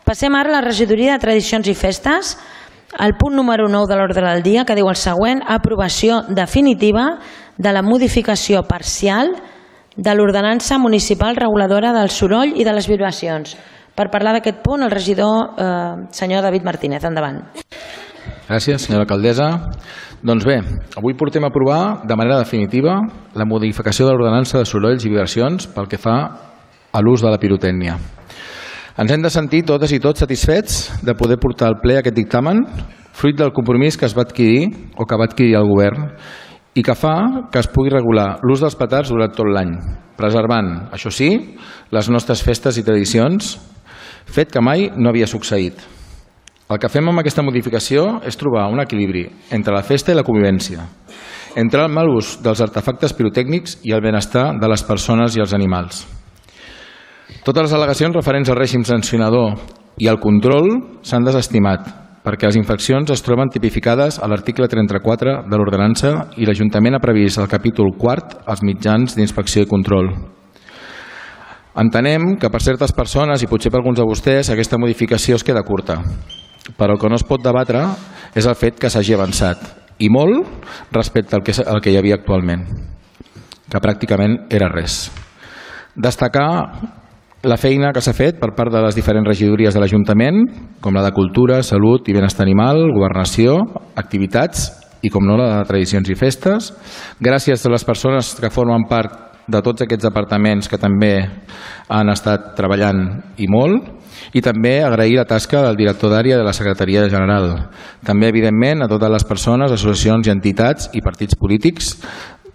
Passem ara a la regidoria de Tradicions i Festes, el punt número 9 de l'ordre del dia, que diu el següent: aprovació definitiva de la modificació parcial de l'ordenança municipal reguladora del soroll i de les vibracions. Per parlar d'aquest punt, el regidor senyor David Martínez. Endavant. Gràcies, senyora alcaldessa. Doncs bé, avui portem a aprovar de manera definitiva la modificació de l'ordenança de sorolls i vibracions pel que fa a l'ús de la pirotècnia. Ens hem de sentir totes i tots satisfets de poder portar al ple aquest dictamen, fruit del compromís que es va adquirir o que va adquirir el govern i que fa que es pugui regular l'ús dels petards durant tot l'any, preservant, això sí, les nostres festes i tradicions, fet que mai no havia succeït. El que fem amb aquesta modificació és trobar un equilibri entre la festa i la convivència, entre el mal ús dels artefactes pirotècnics i el benestar de les persones i els animals. Totes les al·legacions referents al règim sancionador i al control s'han desestimat, perquè les infraccions es troben tipificades a l'article 34 de l'ordenança i l'Ajuntament ha previst al capítol 4 els mitjans d'inspecció i control. Entenem que per certes persones i potser per alguns de vostès aquesta modificació es queda curta, però el que no es pot debatre és el fet que s'hagi avançat, i molt respecte al que hi havia actualment, que pràcticament era res. Destacar la feina que s'ha fet per part de les diferents regidories de l'Ajuntament, com la de Cultura, Salut i Benestar Animal, Governació, Activitats i, com no, la de Tradicions i Festes. Gràcies a les persones que formen part de tots aquests departaments que també han estat treballant i molt, i també agrair la tasca del director d'àrea de la Secretaria General. També, evidentment, a totes les persones, associacions i entitats i partits polítics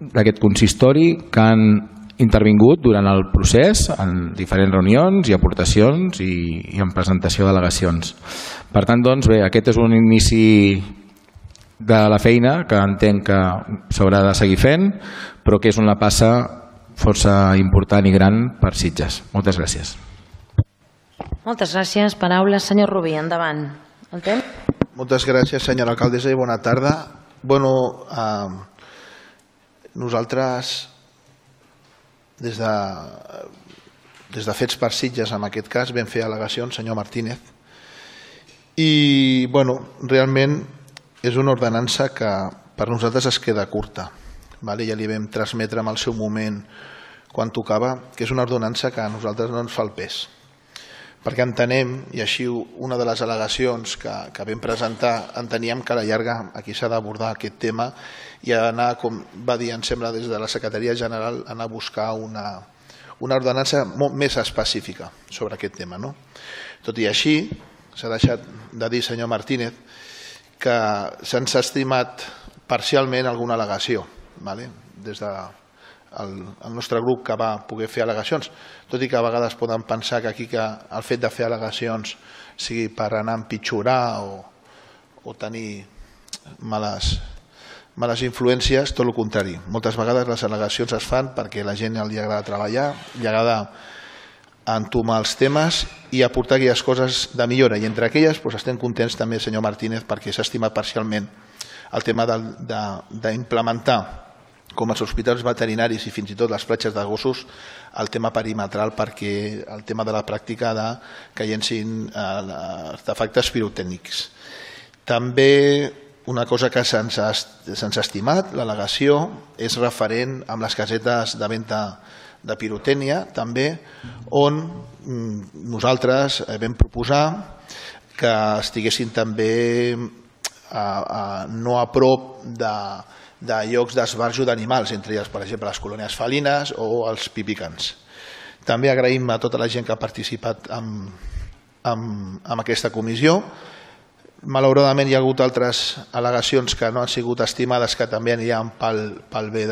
d'aquest consistori que han intervingut durant el procés en diferents reunions i aportacions i en presentació d'al·legacions. Per tant, doncs, bé, aquest és un inici de la feina que entenc que s'haurà de seguir fent, però que és una passa força important i gran per Sitges. Moltes gràcies. Moltes gràcies. Paraules, senyor Rubí, endavant. El temps? Moltes gràcies, senyora alcaldessa, i bona tarda. Nosaltres, des de Fets per Sitges, en aquest cas, vam fer al·legacions, senyor Martínez, i realment és una ordenança que per nosaltres es queda curta. Ja li vam transmetre en el seu moment quan tocava que és una ordenança que a nosaltres no ens fa el pes, perquè entenem, i així una de les al·legacions que vam presentar, enteníem que a la llarga aquí s'ha d'abordar aquest tema i anar, com va dir, em sembla, des de la Secretaria General, anar a buscar una ordenança molt més específica sobre aquest tema. Tot i així, s'ha deixat de dir, senyor Martínez, que se'ns ha estimat parcialment alguna al·legació des del nostre grup que va poder fer al·legacions, tot i que a vegades poden pensar que aquí el fet de fer al·legacions sigui per anar a empitjorar o tenir males influències, tot el contrari. Moltes vegades les al·legacions es fan perquè a la gent li agrada treballar, li agrada entomar els temes i aportar aquelles coses de millora, i entre aquelles estem contents també, senyor Martínez, perquè s'ha estimat parcialment el tema d'implementar com els hospitals veterinaris i fins i tot les platges de gossos el tema perimetral, perquè el tema de la pràctica que llencin artefactes pirotècnics. També una cosa que se'ns ha estimat, l'al·legació, és referent amb les casetes de venda de pirotècnia, també, on nosaltres vam proposar que estiguessin també no a prop de llocs d'esbarjo d'animals, entre ells, per exemple, les colònies felines o els pipicans. També agraïm a tota la gent que ha participat en aquesta comissió. Malauradament hi ha hagut altres al·legacions que no han sigut estimades, que també aniran pel bé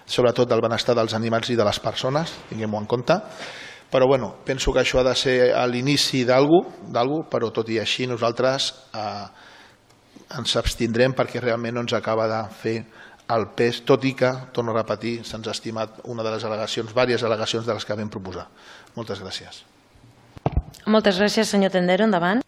sobretot del benestar dels animals i de les persones, tinguem-ho en compte. Però penso que això ha de ser l'inici d'alguna cosa, però tot i així nosaltres ens abstindrem perquè realment no ens acaba de fer el pes, tot i que, torno a repetir, se'ns ha estimat una de les al·legacions, diverses al·legacions de les que vam proposar. Moltes gràcies. Moltes gràcies, senyor Tendero. Endavant.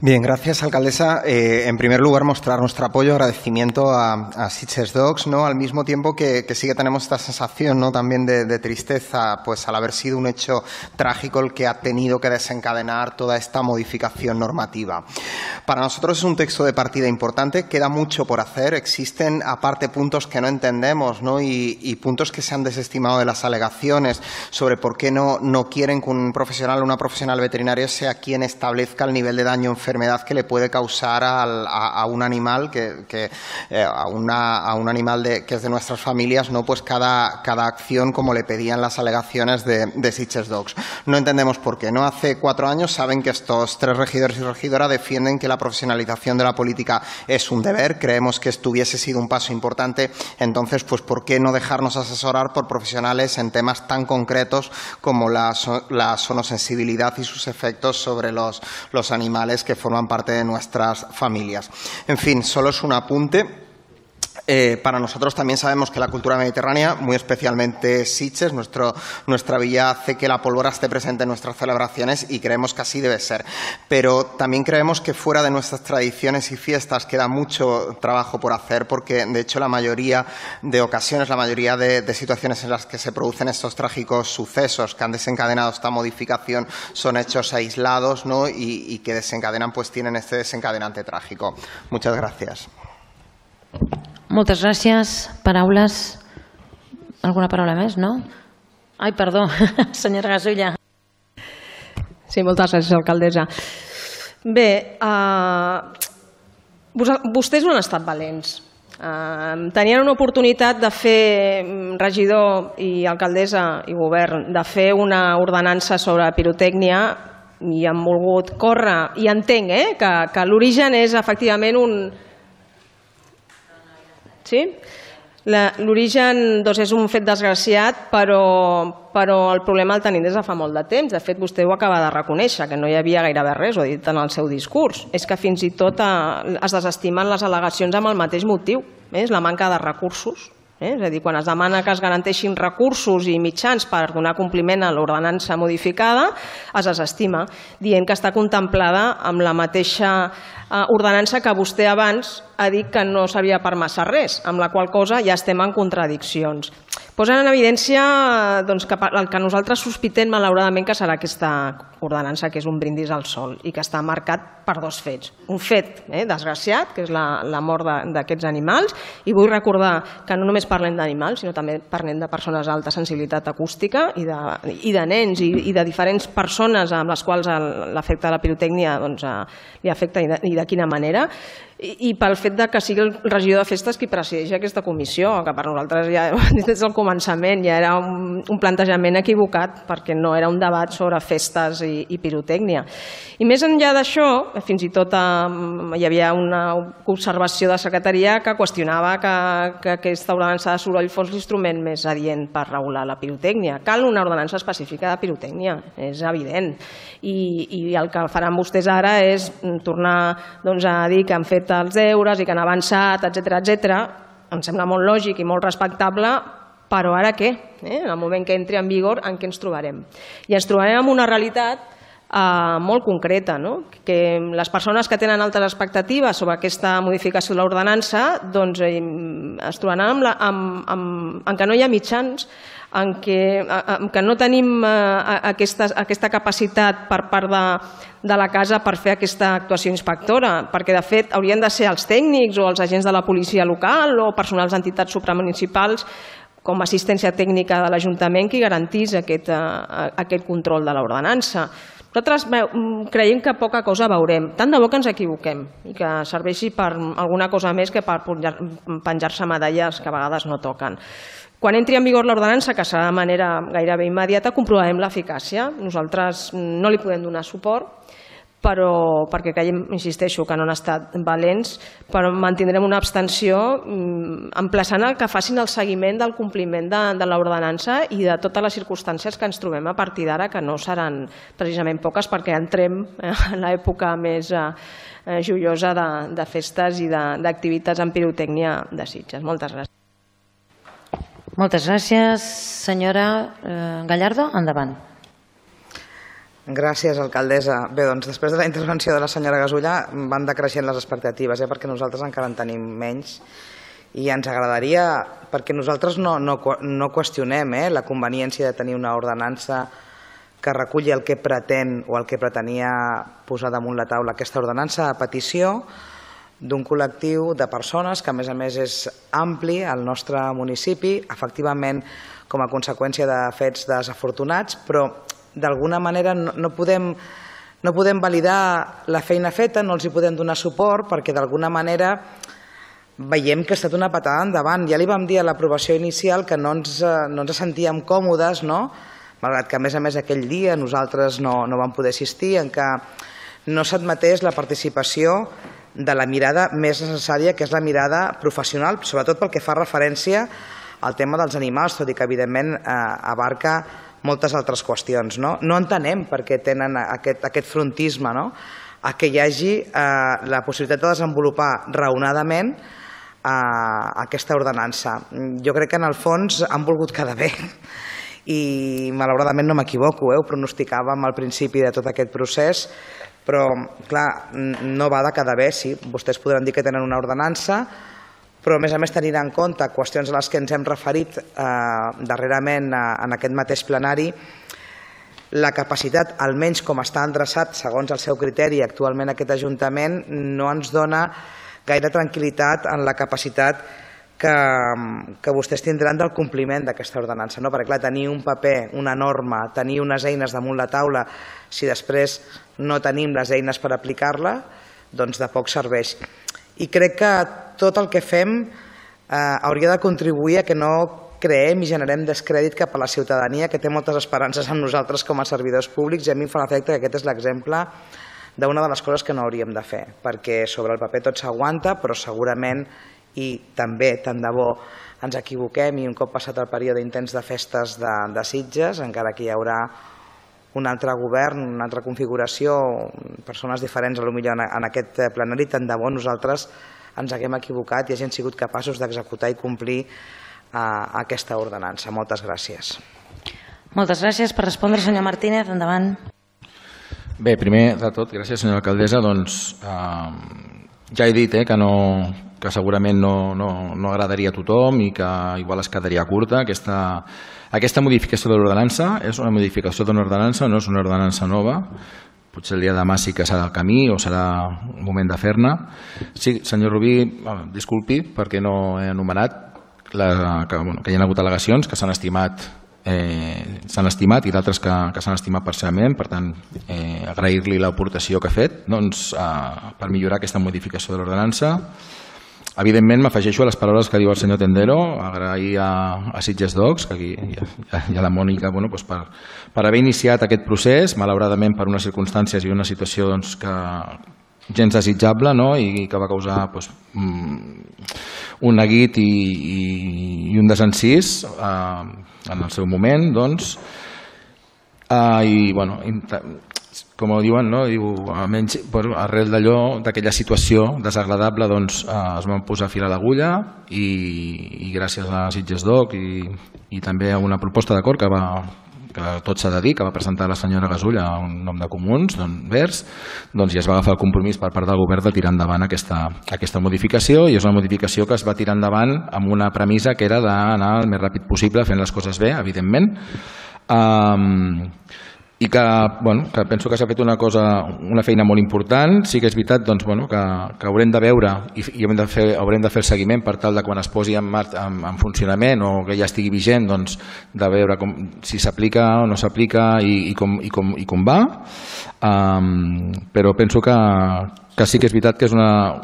Bien, gracias, alcaldesa. En primer lugar, mostrar nuestro apoyo, agradecimiento a Sitges Dogs, ¿no? Al mismo tiempo que sí que tenemos esta sensación, ¿no?, también de tristeza, pues al haber sido un hecho trágico el que ha tenido que desencadenar toda esta modificación normativa. Para nosotros es un texto de partida importante, queda mucho por hacer, existen aparte puntos que no entendemos, ¿no?, y puntos que se han desestimado de las alegaciones sobre por qué no quieren que un profesional o una profesional veterinaria sea quien establezca el nivel de daño o enfermedad que le puede causar a un animal a un animal que es de nuestras familias, ¿no?, pues cada acción como le pedían las alegaciones de Sitges Dogs. No entendemos por qué. No hace 4 años saben que estos 3 regidores y regidora defienden que la profesionalización de la política es un deber. Creemos que esto hubiese sido un paso importante. Entonces, pues ¿por qué no dejarnos asesorar por profesionales en temas tan concretos como la sonosensibilidad y sus efectos sobre los animales que forman parte de nuestras familias? En fin, solo es un apunte. Para nosotros también sabemos que la cultura mediterránea, muy especialmente Sitges, nuestra villa, hace que la pólvora esté presente en nuestras celebraciones y creemos que así debe ser. Pero también creemos que fuera de nuestras tradiciones y fiestas queda mucho trabajo por hacer, porque de hecho la mayoría de ocasiones, la mayoría de situaciones en las que se producen estos trágicos sucesos que han desencadenado esta modificación son hechos aislados, ¿no?, y que desencadenan, pues tienen este desencadenante trágico. Muchas gracias. Moltes gràcies. Paraules? Alguna paraula més, no? Ai, perdó, senyora Gasulla. Sí, moltes gràcies, alcaldessa. Bé, vostès no han estat valents. Tenien una oportunitat de fer, regidor i alcaldessa i govern, de fer una ordenança sobre pirotècnia i han volgut córrer. I entenc que l'origen és efectivament un... Sí? L'origen és un fet desgraciat, però el problema el tenim des de fa molt de temps. De fet, vostè ho acaba de reconèixer, que no hi havia gairebé res, ho ha dit en el seu discurs. És que fins i tot es desestimen les al·legacions amb el mateix motiu, és la manca de recursos. És a dir, quan es demana que es garanteixin recursos i mitjans per donar compliment a l'ordenança modificada, es desestima, dient que està contemplada amb la mateixa ordenança que vostè abans ha dit que no servia per massa res, amb la qual cosa ja estem en contradiccions. Posen en evidència que el que nosaltres sospitem, malauradament, que serà aquesta ordenança, que és un brindis al sol i que està marcat per 2 fets. Un fet desgraciat, que és la mort d'aquests animals, i vull recordar que no només parlem d'animals, sinó també parlem de persones d'alta sensibilitat acústica i de nens i de diferents persones amb les quals l'efecte de la pirotècnia li afecta i de quina manera, i pel fet que sigui el regidor de festes qui presideix aquesta comissió, que per nosaltres ja des del començament ja era un plantejament equivocat, perquè no era un debat sobre festes i pirotècnia. I més enllà d'això, fins i tot hi havia una observació de secretaria que qüestionava que aquesta ordenança de soroll fos l'instrument més adient per regular la pirotècnia. Cal una ordenança específica de pirotècnia, és evident, i el que faran vostès ara és tornar a dir que han fet els deures i que han avançat, etc. Em sembla molt lògic i molt respectable, però ara què? En el moment que entri en vigor, en què ens trobarem? I ens trobarem amb una realitat molt concreta, que les persones que tenen altes expectatives sobre aquesta modificació de l'ordenança es trobaran en que no hi ha mitjans, en que no tenim aquesta capacitat per part de la casa per fer aquesta actuació inspectora, perquè de fet haurien de ser els tècnics o els agents de la policia local o personals d'entitats supramunicipals com a assistència tècnica de l'Ajuntament qui garantís aquest control de l'ordenança. Nosaltres creiem que poca cosa veurem. Tant de bo que ens equivoquem i que serveixi per alguna cosa més que per penjar-se medalles que a vegades no toquen. Quan entri en vigor l'ordenança, que serà de manera gairebé immediata, comprovarem l'eficàcia. Nosaltres no li podem donar suport, però perquè creiem, insisteixo, que no han estat valents, però mantindrem una abstenció emplaçant que facin el seguiment del compliment de l'ordenança i de totes les circumstàncies que ens trobem a partir d'ara, que no seran precisament poques, perquè entrem en l'època més joiosa de festes i d'activitats en pirotècnia de Sitges. Moltes gràcies. Moltes gràcies. Senyora Gallardo, endavant. Gràcies, alcaldessa. Bé, doncs després de la intervenció de la senyora Gasulla van decreixent les expectatives, perquè nosaltres encara en tenim menys i ens agradaria, perquè nosaltres no qüestionem la conveniència de tenir una ordenança que reculli el que pretén o el que pretenia posar damunt la taula aquesta ordenança a petició d'un col·lectiu de persones que a més és ampli al nostre municipi, efectivament com a conseqüència de fets desafortunats, però d'alguna manera no podem validar la feina feta, no els hi podem donar suport perquè d'alguna manera veiem que ha estat una patada endavant. Ja li vam dir a l'aprovació inicial que no ens sentíem còmodes, malgrat que a més aquell dia nosaltres no vam poder assistir, en què no s'admetés la participació de la mirada més necessària, que és la mirada professional, sobretot pel que fa referència al tema dels animals, tot i que evidentment abarca moltes altres qüestions. No entenem per què tenen aquest frontisme a que hi hagi la possibilitat de desenvolupar raonadament aquesta ordenança. Jo crec que en el fons han volgut quedar bé i malauradament no m'equivoco, ho pronosticàvem al principi de tot aquest procés, però clar, no va de quedar bé, sí, vostès podran dir que tenen una ordenança, però a més tenint en compte qüestions a les que ens hem referit darrerament en aquest mateix plenari, la capacitat, almenys com està endreçat segons el seu criteri actualment aquest Ajuntament, no ens dona gaire tranquil·litat en la capacitat que vostès tindran del compliment d'aquesta ordenança. Perquè clar, tenir un paper, una norma, tenir unes eines damunt la taula, si després no tenim les eines per aplicar-la, doncs de poc serveix. I crec que tot el que fem hauria de contribuir a que no creem i generem descrèdit cap a la ciutadania, que té moltes esperances en nosaltres com a servidors públics, i a mi em fa l'efecte que aquest és l'exemple d'una de les coses que no hauríem de fer, perquè sobre el paper tot s'aguanta, però segurament, i també tant de bo ens equivoquem i un cop passat el període intens de festes de Sitges, encara que hi haurà un altre govern, una altra configuració, persones diferents potser en aquest plenari, tant de bo nosaltres ens haguem equivocat i hagin sigut capaços d'executar i complir aquesta ordenança. Moltes gràcies. Moltes gràcies. Per respondre, senyor Martínez, endavant. Bé, primer de tot, gràcies senyora alcaldessa, doncs ja he dit que segurament no agradaria a tothom i que igual es quedaria curta. Aquesta modificació de l'ordenança és una modificació d'una ordenança, no és una ordenança nova. Potser el dia de demà sí que serà el camí o serà un moment de fer-ne. Sí, senyor Rubí, disculpi perquè no he enumerat que hi ha hagut al·legacions que s'han estimat i d'altres que s'han estimat parcialment. Per tant, agrair-li l'aportació que ha fet per millorar aquesta modificació de l'ordenança. Evidentment m'afegeixo a les paraules que diu el senyor Tendero, agrair a Sitges Docs, que aquí hi ha la Mònica, per haver iniciat aquest procés, malauradament per unes circumstàncies i una situació que gens desitjable i que va causar un neguit i un desencís en el seu moment. Com diuen, almenys arrel d'aquella situació desagradable es van posar fil a l'agulla i gràcies a Sitges Doc i també a una proposta d'acord que tot s'ha de dir, que va presentar la senyora Gasulla en nom de Comuns Verds, ja es va agafar el compromís per part del govern de tirar endavant aquesta modificació, i és una modificació que es va tirar endavant amb una premissa que era d'anar el més ràpid possible fent les coses bé, evidentment, i que penso que s'ha fet una feina molt important. Sí que és veritat que haurem de veure i haurem de fer el seguiment per tal de quan es posi en funcionament o que ja estigui vigent, de veure si s'aplica o no s'aplica i com va, però penso que sí que és veritat que és una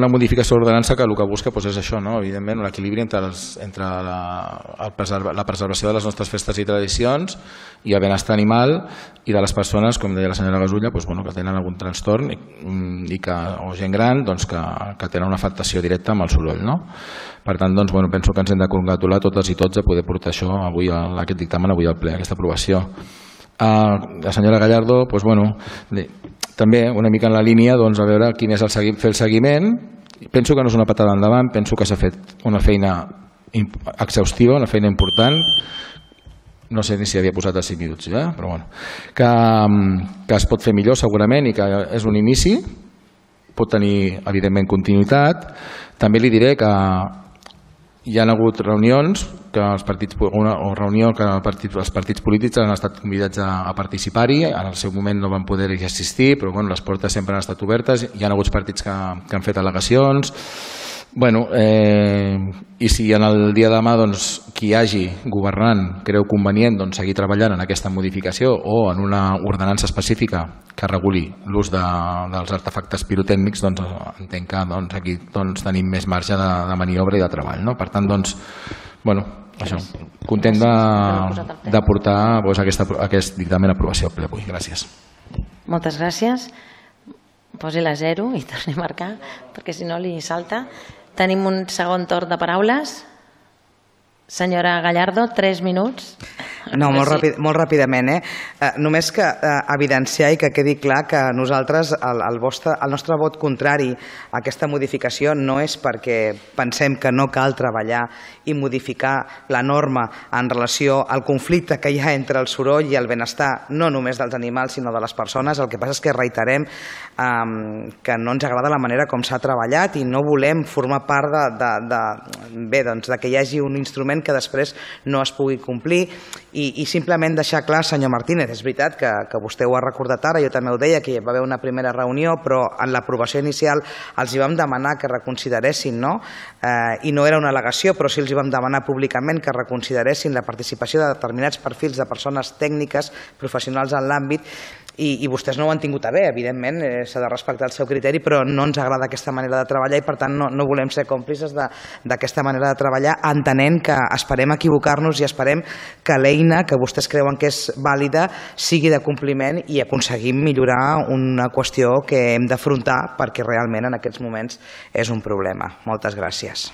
modificació de l'ordenança que el que busca és això, evidentment un equilibri entre la preservació de les nostres festes i tradicions i el benestar animal i de les persones, com deia la senyora Gasulla, que tenen algun trastorn o gent gran que tenen una afectació directa amb el soroll. Per tant, penso que ens hem de congratular totes i tots a poder portar això avui, aquest dictamen avui al ple, aquesta aprovació. La senyora Gallardo, també una mica en la línia a veure quin és fer el seguiment. Penso que no és una patada endavant, penso que s'ha fet una feina exhaustiva, una feina important. no sé ni si havia posat a 5 minuts, però bueno, que es pot fer millor segurament i que és un inici, pot tenir evidentment continuïtat. També li diré que hi ha hagut reunions que els partits polítics han estat convidats a participar-hi, en el seu moment no van poder-hi assistir, però bueno, les portes sempre han estat obertes, hi ha hagut partits que han fet al·legacions. I si en el dia de demà qui hagi governant creu convenient seguir treballant en aquesta modificació o en una ordenança específica que reguli l'ús dels artefactes pirotècnics, entenc que aquí tenim més marge de maniobra i de treball. Per tant, això, content de portar aquest dictamen a aprovació al ple avui. Gràcies. Moltes gràcies. Posi la 0 i torni a marcar, perquè si no li salta. Tenim un segon torn de paraules. Senyora Gallardo, 3 minuts. No, molt ràpidament. Només que evidenciar i que quedi clar que nosaltres, el nostre vot contrari a aquesta modificació no és perquè pensem que no cal treballar i modificar la norma en relació al conflicte que hi ha entre el soroll i el benestar, no només dels animals sinó de les persones. El que passa és que reiterem que no ens agrada la manera com s'ha treballat i no volem formar part de que hi hagi un instrument que després no es pugui complir. I simplement deixar clar, senyor Martínez, és veritat que vostè ho ha recordat ara, jo també ho deia, que hi va haver una primera reunió, però en l'aprovació inicial els hi vam demanar que reconsideressin, i no era una al·legació, però sí els hi vam demanar públicament que reconsideressin la participació de determinats perfils de persones tècniques, professionals en l'àmbit, i vostès no ho han tingut a bé, evidentment, s'ha de respectar el seu criteri, però no ens agrada aquesta manera de treballar i per tant no volem ser còmplices d'aquesta manera de treballar, entenent que esperem equivocar-nos i esperem que l'eina que vostès creuen que és vàlida sigui de compliment i aconseguim millorar una qüestió que hem d'afrontar perquè realment en aquests moments és un problema. Moltes gràcies.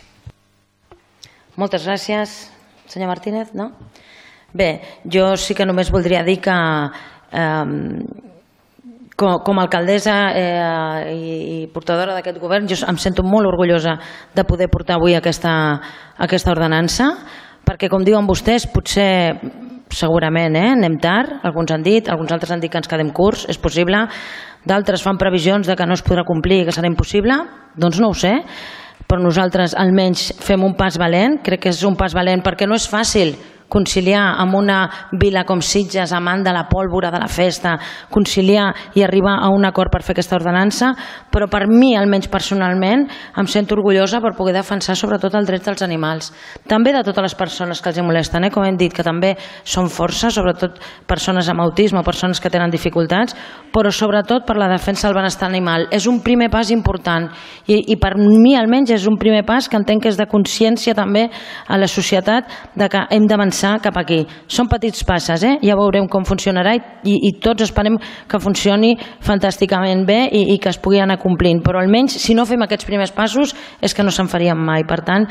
Moltes gràcies, senyor Martínez. Bé, jo sí que només voldria dir que com a alcaldessa i portadora d'aquest govern jo em sento molt orgullosa de poder portar avui aquesta ordenança, perquè com diuen vostès potser segurament anem tard, alguns han dit, alguns altres han dit que ens quedem curts, és possible, d'altres fan previsions de que no es podrà complir i que serà impossible, doncs no ho sé, però nosaltres almenys fem un pas valent, crec que és un pas valent perquè no és fàcil conciliar amb una vila com Sitges, amant de la pólvora, de la festa, conciliar i arribar a un acord per fer aquesta ordenança, però per mi, almenys personalment, em sento orgullosa per poder defensar sobretot els drets dels animals. També de totes les persones que els molesten, com hem dit, que també són força, sobretot persones amb autisme o persones que tenen dificultats, però sobretot per la defensa del benestar animal. És un primer pas important i per mi, almenys, és un primer pas que entenc que és de consciència també a la societat de que hem d'avançar cap aquí. Són petits passes, ja veurem com funcionarà i tots esperem que funcioni fantàsticament bé i que es pugui anar complint, però almenys si no fem aquests primers passos és que no se'n farien mai. Per tant,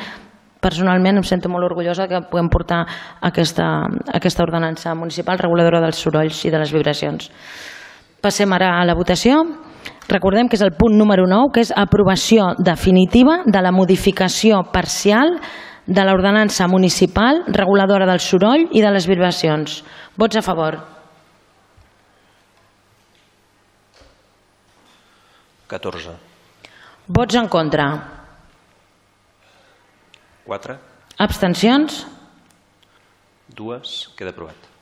personalment em sento molt orgullosa que puguem portar aquesta ordenança municipal reguladora dels sorolls i de les vibracions. Passem ara a la votació. Recordem que és el punt número 9, que és aprovació definitiva de la modificació parcial de l'ordenança municipal reguladora del soroll i de les vibracions. Vots a favor. 14. Vots en contra. 4. Abstencions? 2. Queda aprovat.